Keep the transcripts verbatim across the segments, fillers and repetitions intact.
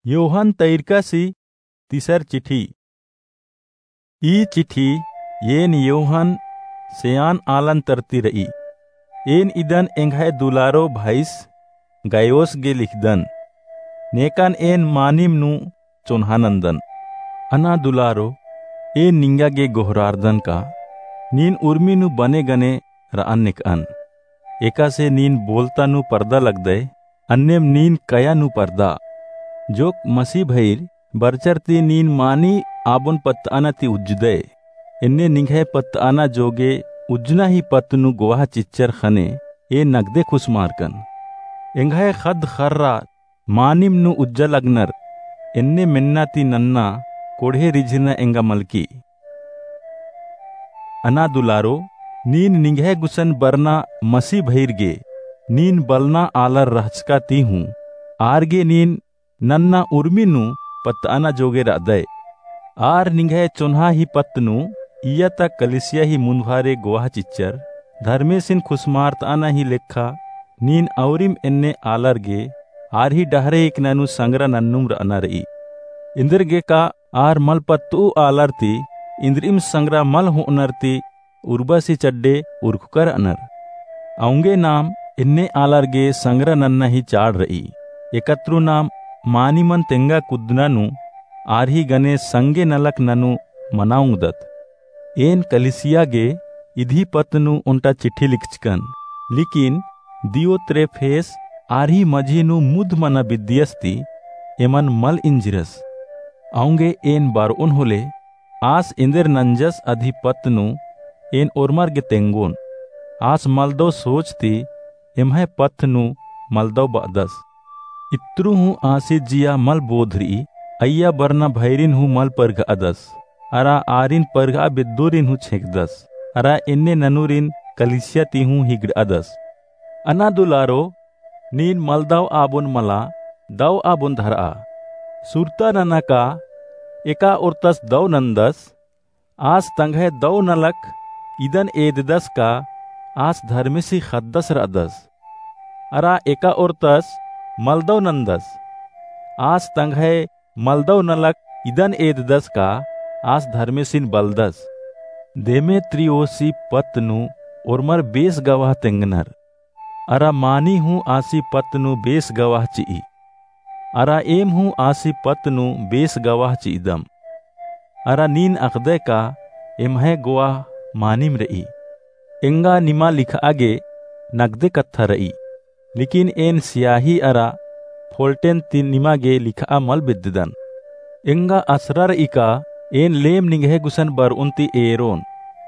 योहन तैरकासी तीसर चिठी। ई चिठी एन योहन सेयान आलन तरती र'ई। एन इदन एंग्है दुलारो भाईस गायोस गे लिखदन। नेकन एन मानिम नू चोन्हा नन्दन। अना दुलारो, एन निंगा गे गोहरारदन का नीन उर्मी नू बने गने र'अन नेक'अन। एकासे नीन बोलता नू परदा लगदय, अन्नेम नीन कया नू परदा। जोक मसीह भइर बरचर ती नीन मानी आबोन पत्त'अना ती उज्जदय। एन्ने निंग्है पत्त'अना जोगे उज्जना ही पत्त नू गोवाह चिच्चर ख़ने एन नगदे खुसमारकन। एंग्है ख़द्द ख़र्रा मानिम नू उज्जा लगनर, एन्ने मेन्ना ती नन्ना कोड़हे रिझिरना एंगा मलकी। अना दुलारो, नीन निंग्है गुसन बरना मसीह भइर गे, नीन बलना आलर रहचका ती हूँ, आर गे नीन नन्ना उर्मी नू पत्त'अना जोगे र'अदय। आर निंग्है चोन्हा ही पत्त नू इय्या ता कलिसिया ही मुन्दभारे गोवाह चिच्चर, धर्मेसिन खुसमारत'अना ही लेखा नीन औरिम एन्ने आलर गे आर ही डहरे एकना नू संगरा नन्नुम र'अना र'ई। एन्देरगे का आर मल पत्त'ऊ आलर ती इन्द्रिइम संगरा मल हो'अनर ती उर्बासी चड्डे उरखुका र'अनर। औंगे नाम एन्ने आलर गे संगरा नन्ना ही चाड़ र'ई। एकतरु नाम मानिमन तेंगा कुद्दना नू आर ही गने संगे नलख ननू मना ओंगदत। एन कलिसिया गे इदी पत्त नू ओन्टा चिट्ठी लिखचकन, लेकिन दियोत्रेफेस आर ही मझी नू मुद्ध मना बिद्दियस ती एमन मल इंजिरस। औंगे एन बर'ओन होले आस एन्देर नंजस अदी पत्त नू एन ओर्मर गे तेंगोन। आस मलदौ सोच ती एम्है पत्त नू मलदौ ब'अदस। इत्रु हूँ आसी जिया मल बोध र'ई, अइय्या बरना भइरिन हूँ मल परघ'अदस। अरा आरिन परघ'आ बेद्दोरिन हूँ छेंकदस। अरा एन्ने ननुरिन कलिसिया ती हूँ हिगड़'अदस। अना दुलारो, नीन मलदौ आबोन मला, दौ आबोन धर'आ। सुरता नना का एका ओर्तस दौ नंदस, आस तंग्है दौ नलख इदन एददस का आस धर्मेसी ख़द्दस र'अदस। अरा एका ओर्तस मलदौ नंदस, आस तंग्है मलदौ नलख इदन एददस का आस धर्मेसिन बलदस। देमेत्रियोसी पत्त नू ओर्मर बेस गवाह तेंगनर। अरा मानी हूँ आसी पत्त नू बेस गवाह चि'ई। अरा एम हूँ आसी पत्त नू बेस गवाह चि'दम। अरा नीन अख़दय का एम्है गोवाह मानिम र'ई। एंगा निमा लिख'आ गे नगदे कत्था र'ई, लेकिन एन सियाही अरा फोल्टेन ती निमा गे लिख'आ मल बेद्ददन। एंगा असरा र'ई का एन लेम निंग्है गुसन बर'ओन ती एरोन,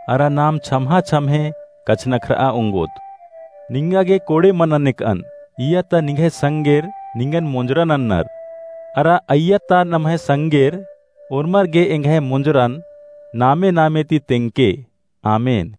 अरा नाम छम्हा छम्हे कछनखर'आ ओंगोत। निंगा गे कोड़े मना नेक'अन, इय्या ता निंग्है संगेर निंगन मोंजरा नन्नर। अरा अइय्या ता नम्है संगेर ओर्मर गे एंग्है मोंजरन नामे नामे ती तेंगके। आमेन।